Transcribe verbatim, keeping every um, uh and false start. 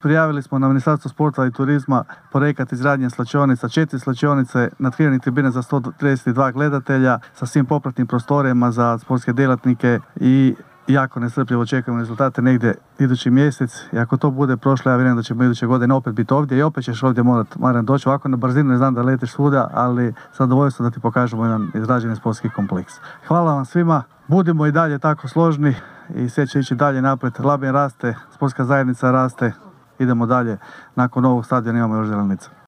Prijavili smo na Ministarstvo sporta i turizma projekat izgradnje slačionica, četiri slačionice, natkriveni tribine za sto trideset dva gledatelja sa svim popratnim prostorijama za sportske djelatnike i jako nestrpljivo čekamo rezultate negdje idući mjesec. I ako to bude prošlo, ja vjerujem da ćemo iduće godine opet biti ovdje i opet ćeš ovdje morati, Maran, doći. Ovako na brzinu, ne znam da letiš svuda, ali zadovoljstvo da ti pokažemo jedan izrađeni sportski kompleks. Hvala vam svima, budimo i dalje tako složni i sve će ići dalje naprijed. Labin raste, sportska zajednica raste, idemo dalje. Nakon ovog stadiona imamo još Zelenicu.